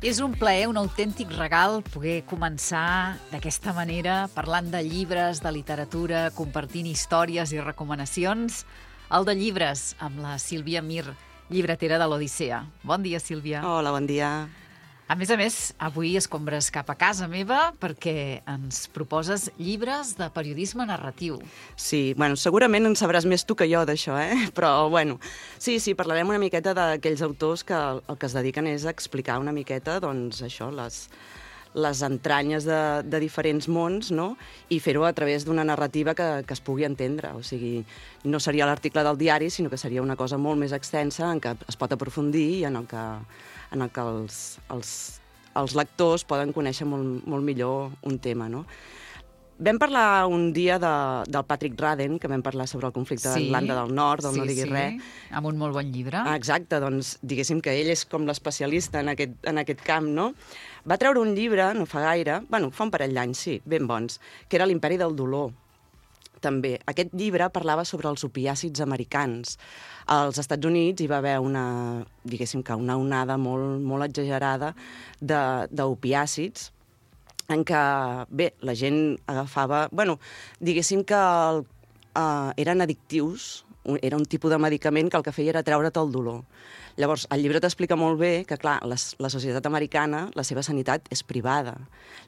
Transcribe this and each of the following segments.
És un plaer, un autèntic regal poder començar d'aquesta manera, parlant de llibres, de literatura, compartint històries i recomanacions. El de llibres, amb la Sílvia Mir, llibretera de l'Odissea. Bon dia, Sílvia. Hola, bon dia. A més, avui escombres cap a casa meva perquè ens proposes llibres de periodisme narratiu. Sí, bueno, segurament en sabràs més tu que jo d'això, Però, bueno, sí, parlarem una miqueta d'aquells autors que el que es dediquen és a explicar una miqueta, doncs, això, les entranyes de diferents mons, no? I fer-ho a través d'una narrativa que es pugui entendre. O sigui, no seria l'article del diari, sinó que seria una cosa molt més extensa en què es pot aprofundir i en el que els lectors poden conèixer molt millor un tema, no? Vam parlar un dia del Patrick Radden, que vam parlar sobre el conflicte d'Irlanda del Nord, del No diguis res. Amb un molt bon llibre. Exacte, doncs diguéssim que ell és com l'especialista en aquest camp, no? Va treure un llibre, no fa gaire, fa un parell d'anys, sí, ben bons, que era l'Imperi del dolor. També. Aquest llibre parlava sobre els opiàcids americans. Als Estats Units hi va haver una onada molt exagerada d'opiàcids en què, la gent agafava... diguéssim que eren addictius, era un tipus de medicament que el que feia era treure't el dolor. Llavors, el llibre t'explica molt bé que, clar, la societat americana, la seva sanitat és privada.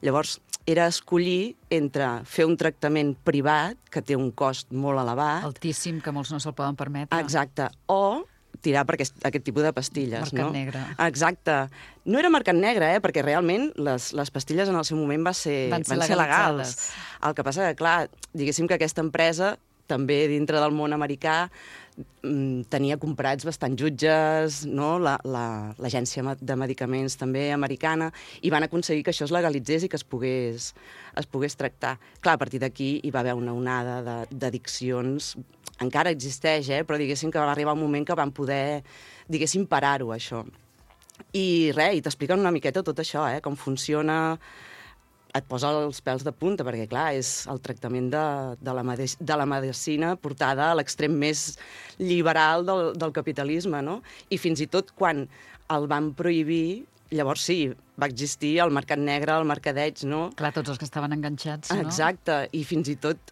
Llavors, era escollir entre fer un tractament privat, que té un cost molt elevat... Altíssim, que molts no se'l poden permetre. Exacte. O tirar per aquest tipus de pastilles, mercat negre. Exacte. No era mercat negre, perquè realment les pastilles en el seu moment van ser legals. El que passa que, clar, diguéssim que aquesta empresa, també dintre del món americà, tenia comprats bastant jutges, no? L'agència de medicaments també americana, i van aconseguir que això es legalitzés i que es pogués tractar. Clar, a partir d'aquí hi va haver una onada d'addiccions. Encara existeix, però diguéssim que va arribar un moment que van poder, diguéssim, parar-ho, això. I t'expliquen una miqueta tot això, com funciona... Et posa els pèls de punta, perquè, clar, és el tractament de la medicina portada a l'extrem més liberal del capitalisme, no? I fins i tot quan el van prohibir, llavors sí, va existir el mercat negre, el mercadeig, no? Clar, tots els que estaven enganxats, no? Exacte, i fins i tot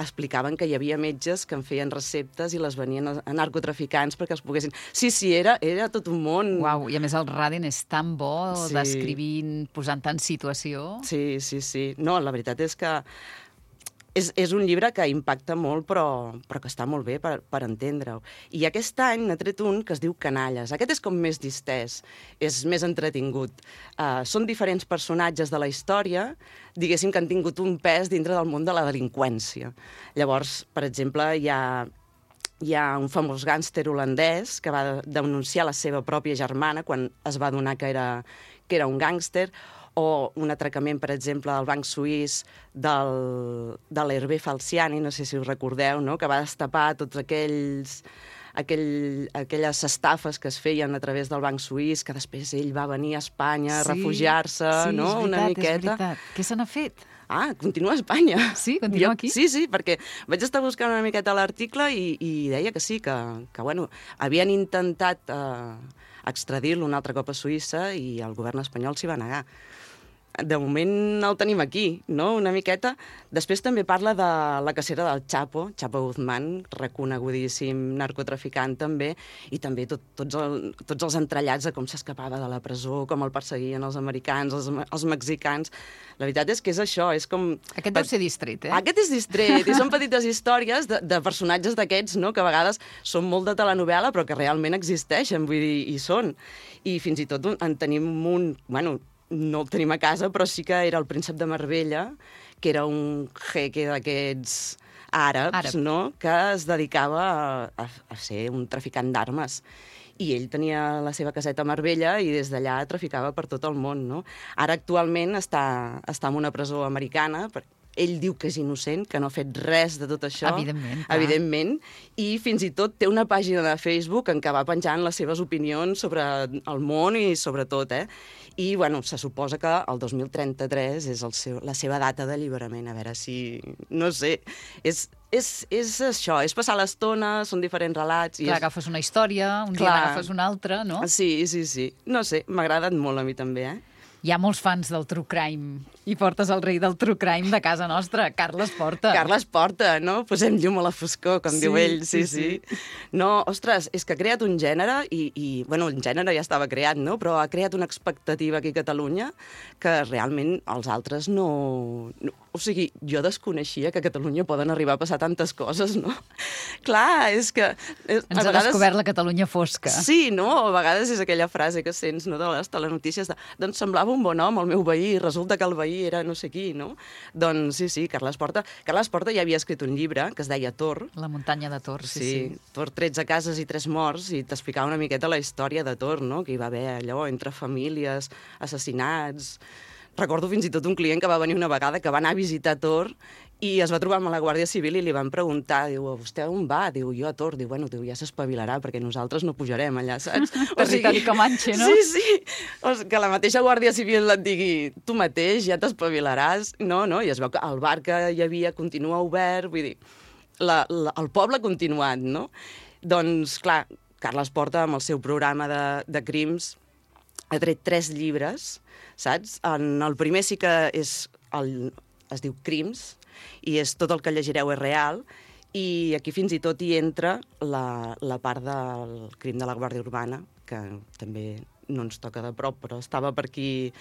explicaven que hi havia metges que en feien receptes i les venien a narcotraficants perquè els poguessin... Sí, era tot un món. Uau, i a més el Radden és tan bo, descrivint, posant-te en situació. Sí. No, la veritat és que és un llibre que impacta molt, però que està molt bé per entendre-ho. I aquest any n'ha tret un que es diu Canalles. Aquest és com més distès, és més entretingut. Són diferents personatges de la història, diguéssim que han tingut un pes dintre del món de la delinqüència. Llavors, per exemple, hi ha un famós gàngster holandès que va denunciar la seva pròpia germana quan es va adonar que era un gàngster, o un atracament, per exemple, al banc suís de l'Hervé Falciani, no sé si us recordeu, no? Que va destapar tots aquelles estafes que es feien a través del banc suís, que després ell va venir a Espanya a refugiar-se, no? Una miqueta. És veritat. Què se n'ha fet? Continua a Espanya. Sí, continua aquí? Sí, perquè vaig estar buscant una miqueta l'article i deia que sí, que havien intentat extradir-lo un altre cop a Suïssa i el govern espanyol s'hi va negar. De moment el tenim aquí, no?, una miqueta. Després també parla de la cacera del Chapo Guzmán, reconegudíssim narcotraficant també, i també tots els entrellats de com s'escapava de la presó, com el perseguien els americans, els mexicans. La veritat és que és això, és com... Aquest deu ser distret, Aquest és distret, i són petites històries de personatges d'aquests, no?, que a vegades són molt de telenovel·la, però que realment existeixen, vull dir, hi són. I fins i tot en tenim un... no el tenim a casa, però sí que era el príncep de Marbella, que era un jeque d'aquests àrabs, no?, que es dedicava a ser un traficant d'armes. I ell tenia la seva caseta a Marbella i des d'allà traficava per tot el món, no? Ara actualment està en una presó americana. ell diu que és innocent, que no ha fet res de tot això. Evidentment, clar. Evidentment. I fins i tot té una pàgina de Facebook en què va penjant les seves opinions sobre el món i sobre tot, I, bueno, se suposa que el 2033 és la seva data d'alliberament. A veure si... No sé, és això, és passar l'estona, són diferents relats... Clar, agafes una història, un dia n'agafes una altra, no? Sí. No sé, m'ha agradat molt a mi també, Hi ha molts fans del True Crime i portes el rei del True Crime de casa nostra, Carles Porta. Carles Porta, no? Posem llum a la foscor, com diu ell. Sí. No, ostres, és que ha creat un gènere i bueno, el gènere ja estava creat, no? Però ha creat una expectativa aquí a Catalunya que realment els altres no... O sigui, jo desconeixia que a Catalunya poden arribar a passar tantes coses, no? Clar, és que... Ens ha descobert la Catalunya fosca. Sí, no? A vegades és aquella frase que sents, no?, de les telenotícies de doncs semblava un bon home, el meu veí, i resulta que el veí era no sé qui, no? Doncs sí, Carles Porta. Carles Porta ja havia escrit un llibre que es deia Tor. La muntanya de Tor, sí. Tor, 13 cases i 3 morts, i t'explicava una miqueta la història de Tor, no?, que hi va haver allò entre famílies, assassinats... Recordo fins i tot un client que va venir una vegada que va anar a visitar Tor i es va trobar amb la Guàrdia Civil i li van preguntar, diu, vostè on va? Diu, jo a Tor. Diu, bueno, ja s'espavilarà perquè nosaltres no pujarem allà, saps? Territori Comanche, no? Sí. Que la mateixa Guàrdia Civil et digui, tu mateix ja t'espavilaràs. No, i es veu que el bar que hi havia continua obert, vull dir, el poble ha continuat, no? Doncs, clar, Carles Porta, amb el seu programa de crims, ha tret 3 llibres, saps? En el primer sí que es diu Crims, i és tot el que llegireu és real, i aquí fins i tot hi entra la part del crim de la Guàrdia Urbana, que també no ens toca de prop, però estava per aquí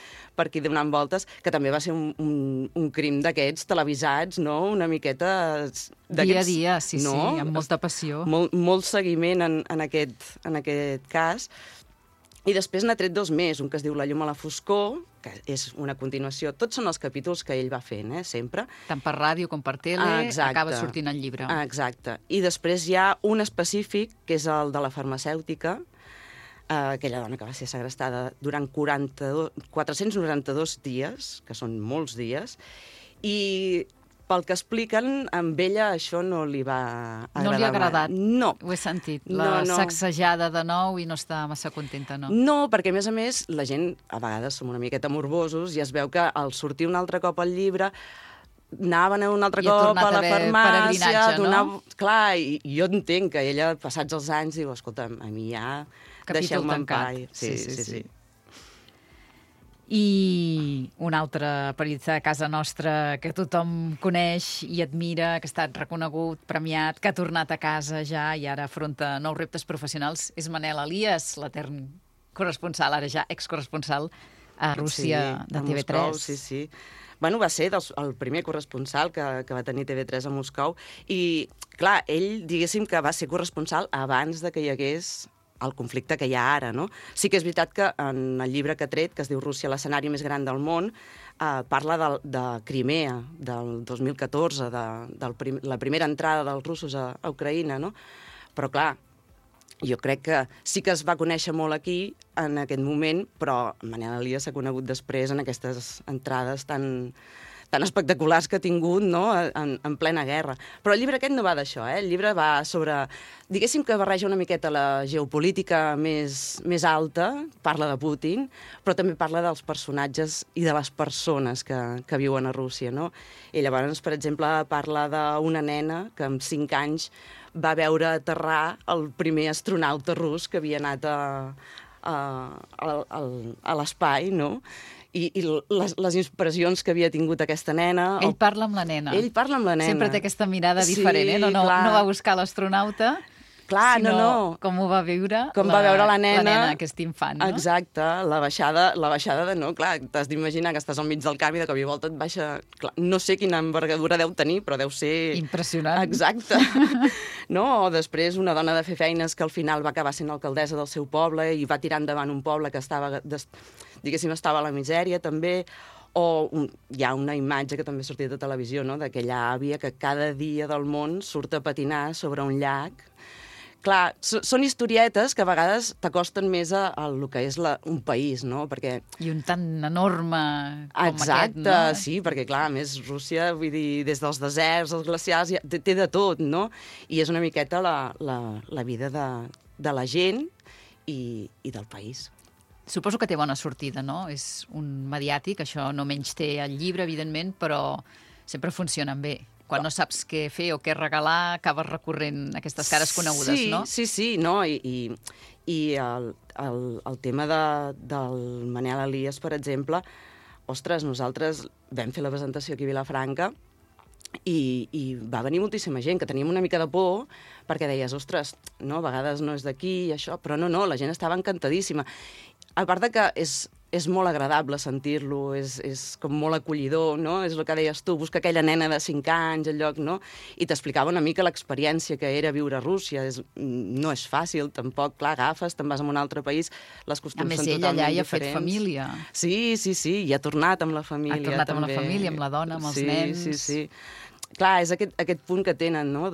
donant voltes, que també va ser un crim d'aquests televisats, no?, una miqueta... Dia a dia, sí, no? Sí, amb molta passió. Molt seguiment en aquest cas. I després n'ha tret 2 més, un que es diu La llum a la foscor, que és una continuació. Tots són els capítols que ell va fent, sempre. Tant per ràdio com per tele, acaba sortint el llibre. Exacte. I després hi ha un específic, que és el de la farmacèutica, aquella dona que va ser segrestada durant 492 dies, que són molts dies, i... Pel que expliquen, amb ella això no li va agradar. No li ha agradat? No. Ho he sentit, la sacsejada de nou i no està massa contenta, no? No, perquè a més, la gent, a vegades som una miqueta morbosos i es veu que al sortir un altre cop al llibre anaven un altre cop a la farmàcia, no? Clar, i jo entenc que ella, passats els anys, diu, escolta, a mi ja deixeu-me en pau. Sí. I un altre periodista de casa nostra que tothom coneix i admira, que ha estat reconegut, premiat, que ha tornat a casa ja i ara afronta nous reptes professionals, és Manel Elias, l'etern corresponsal, ara ja excorresponsal a Rússia, de TV3. Moscou, sí. Bueno, va ser el primer corresponsal que va tenir TV3 a Moscou i, clar, ell, diguéssim que va ser corresponsal abans de que hi hagués el conflicte que hi ha ara, no? Sí que és veritat que en el llibre que ha tret, que es diu Rússia, l'escenari més gran del món, parla de Crimea, del 2014, de la primera entrada dels russos a Ucraïna, no? Però, clar, jo crec que sí que es va conèixer molt aquí en aquest moment, però Manel Elias s'ha conegut després en aquestes entrades tan espectaculars que ha tingut, no?, en plena guerra. Però el llibre aquest no va d'això, El llibre va sobre... Diguéssim que barreja una miqueta la geopolítica més alta, parla de Putin, però també parla dels personatges i de les persones que viuen a Rússia, no? I llavors, per exemple, parla d'una nena que amb 5 anys va veure aterrar el primer astronauta rus que havia anat a l'espai, no?, i les impressions que havia tingut aquesta nena... Ell parla amb la nena. Ell parla amb la nena. Sempre té aquesta mirada diferent, no va buscar l'astronauta, sinó com ho va viure la nena, aquest infant, no? Exacte, la baixada de no, clar, t'has d'imaginar que estàs al mig del camp i de cop i volta et baixa... Clar, no sé quina envergadura deu tenir, però deu ser... Impressionant. Exacte. No, o després una dona de fer feines que al final va acabar sent alcaldessa del seu poble i va tirar endavant un poble que estava, diguéssim, estava a la misèria, també... O hi ha una imatge que també ha sortit de televisió, no?, d'aquella àvia que cada dia del món surt a patinar sobre un llac clar, són historietes que a vegades t'acosten més al que és un país, no? Perquè... I un tan enorme com exacte, aquest, no? Sí, perquè clar, a més Rússia, vull dir, des dels deserts, els glaciars, té de tot, no? I és una miqueta la vida de la gent i del país. Suposo que té bona sortida, no? És un mediàtic, això no menys té el llibre, evidentment, però sempre funcionen bé. Quan no saps què fer o què regalar, acabes recorrent aquestes cares conegudes, no? Sí, no? I el tema del Manel Elias, per exemple, ostres, nosaltres vam fer la presentació aquí a Vilafranca i va venir moltíssima gent, que teníem una mica de por, perquè deies, ostres, no, a vegades no és d'aquí i això, però no, la gent estava encantadíssima. A part de que és molt agradable sentir-lo, és com molt acollidor, no? És el que deies tu, busca aquella nena de 5 anys al lloc, no? I t'explicava una mica l'experiència que era viure a Rússia. No és fàcil, tampoc, clar, agafes, te'n vas a un altre país, les costums són totalment diferents. A més, ell allà hi ha fet família. Sí, i ha tornat amb la família. Ha tornat amb la família, amb la dona, amb els nens. Sí. Clar, és aquest punt que tenen, no?,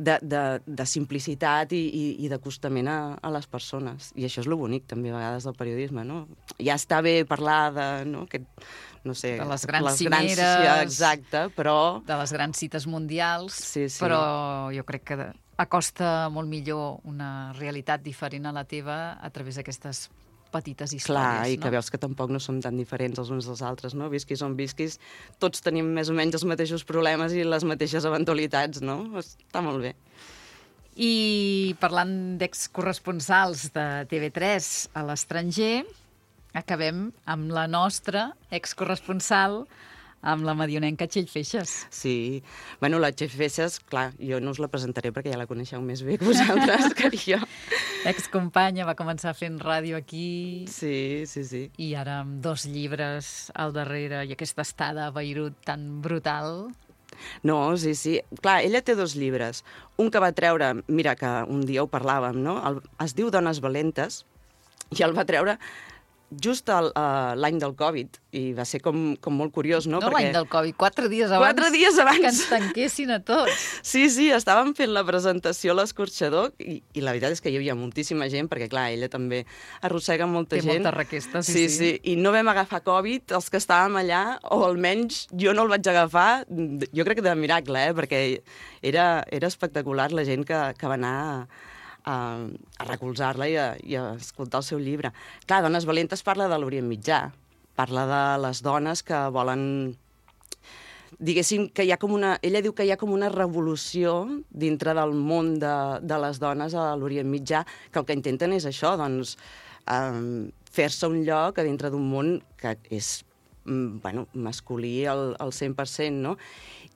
de simplicitat i d'acostament a les persones. I això és lo bonic, també, a vegades, del periodisme, no? Ja està bé parlar de, no sé... De les grans cimeres... Exacte, però... De les grans cites mundials, sí. Però jo crec que acosta molt millor una realitat diferent a la teva a través d'aquestes petites històries. Clar, i que veus que tampoc no som tan diferents els uns dels altres, no? Visquis on visquis, tots tenim més o menys els mateixos problemes i les mateixes eventualitats, no? Està molt bé. I parlant d'excorresponsals de TV3 a l'estranger, acabem amb la nostra excorresponsal, amb la madionenca Txell Feixes. Sí. Bueno, la Txell Feixes, clar, jo no us la presentaré perquè ja la coneixeu més bé que vosaltres, que jo. Excompanya, va començar fent ràdio aquí. Sí. I ara amb 2 llibres al darrere i aquesta estada a Beirut tan brutal. No, sí. Clar, ella té 2 llibres. Un que va treure, mira, que un dia ho parlàvem, no? Es diu Dones valentes, i el va treure just l'any del Covid, i va ser com molt curiós, no? No l'any del Covid, 4 dies abans. 4 dies abans. Que ens tanquessin a tots. Sí, estàvem fent la presentació a l'Escorxador i la veritat és que hi havia moltíssima gent, perquè clar, ella també arrossega molta gent. Té molta requesta, sí. I no vam agafar Covid, els que estàvem allà, o almenys jo no el vaig agafar, jo crec que de miracle, perquè era espectacular la gent que va anar a recolzar-la i a escoltar el seu llibre. Clar, Dones valentes parla de l'Orient Mitjà, parla de les dones que volen... Diguéssim que hi ha com una... Ella diu que hi ha com una revolució dintre del món de les dones a l'Orient Mitjà, que el que intenten és això, doncs, fer-se un lloc a dintre d'un món que és masculí al 100%, no?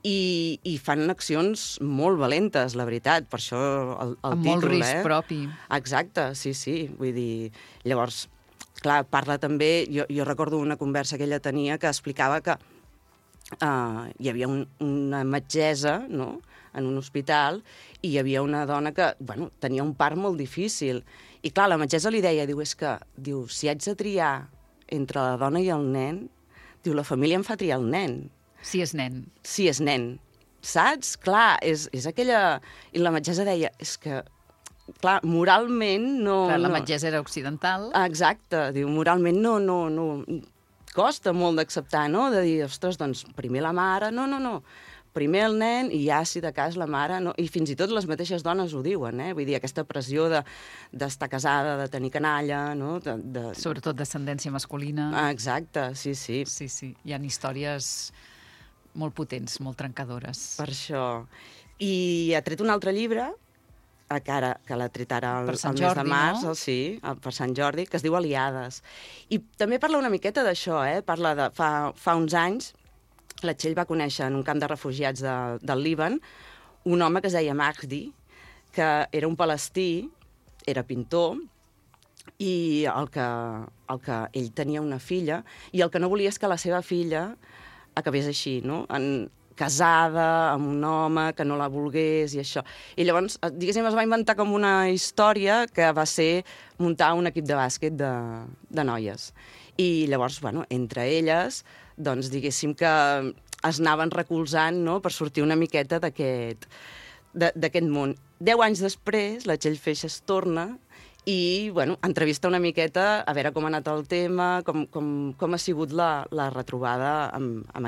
I fan accions molt valentes, la veritat, per això el títol, amb molt risc propi. Exacte, sí. Vull dir, llavors, clar, parla també... Jo recordo una conversa que ella tenia que explicava que hi havia una metgessa, no?, en un hospital, i hi havia una dona que, tenia un part molt difícil. I clar, la metgessa li deia, si haig de triar entre la dona i el nen, la família em fa triar el nen. Si és nen. Si és nen. Saps? Clar, és aquella... I la metgessa deia, és que, clar, moralment no... Clar, la metgessa era occidental. Exacte. Diu, moralment no... Costa molt d'acceptar, no? De dir, ostres, doncs, primer la mare... No. Primer el nen i ja, si de cas, la mare... No? I fins i tot les mateixes dones ho diuen, eh? Vull dir, aquesta pressió d'estar casada, de tenir canalla, no? Sobretot descendència masculina. Exacte, sí. Sí. Hi ha històries molt potents, molt trencadores. Per això. I ha tret un altre llibre, que l'ha tret ara el mes de març, no? Sí, per Sant Jordi, que es diu Aliades. I també parla una miqueta d'això, parla de fa uns anys, la Txell va conèixer en un camp de refugiats del Líban un home que es deia Mahdi, que era un palestí, era pintor, i el que ell tenia una filla, i el que no volia és que la seva filla acabés així, no?, casada amb un home que no la volgués i això. I llavors, diguéssim, es va inventar com una història que va ser muntar un equip de bàsquet de noies. I llavors, entre elles, doncs, diguéssim que es anaven recolzant, no?, per sortir una miqueta d'aquest món. 10 anys després, la Txell Feixas torna i, bueno, entrevista una miqueta a veure com ha anat el tema, com ha sigut la retrobada amb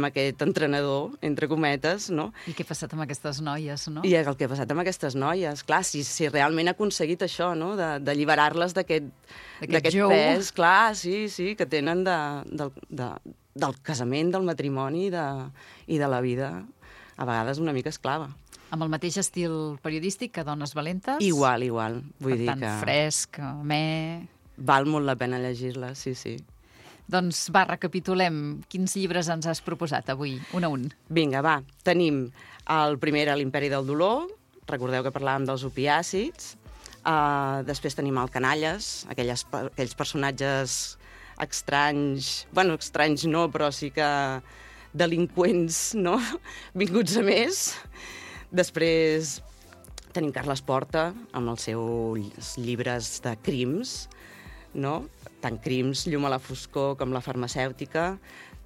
aquest entrenador, entre cometes, no? I què ha passat amb aquestes noies, no? I el que ha passat amb aquestes noies. Clar, si realment ha aconseguit això, no?, d'alliberar-les d'aquest pes, clar, sí, que tenen del casament, del matrimoni i de la vida, a vegades una mica esclava. Amb el mateix estil periodístic que Dones Valentes? Igual. Vull dir que... Per tant, fresc, amè... Val molt la pena llegir-la, sí. Doncs va, recapitulem. Quins llibres ens has proposat avui, un a un? Vinga, va. Tenim el primer, l'Imperi del dolor. Recordeu que parlàvem dels opiàcids. Després tenim el Canalles, aquells personatges estranys... Bueno, estranys no, però sí que delinqüents, no?, vinguts a més. Després tenim Carles Porta, amb els seus llibres de crims, no? Tant Crims, Llum a la foscor, com La farmacèutica.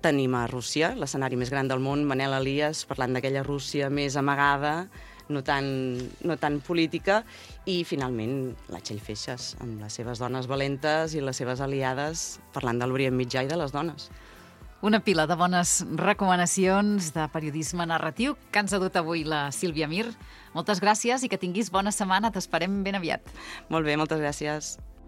Tenim a Rússia, l'escenari més gran del món, Manel Elias, parlant d'aquella Rússia més amagada, no tan política. I, finalment, la Txell Feixas, amb les seves dones valentes i les seves aliades, parlant de l'Orient Mitjà i de les dones. Una pila de bones recomanacions de periodisme narratiu que ens ha dut avui la Sílvia Mir. Moltes gràcies i que tinguis bona setmana. T'esperem ben aviat. Molt bé, moltes gràcies.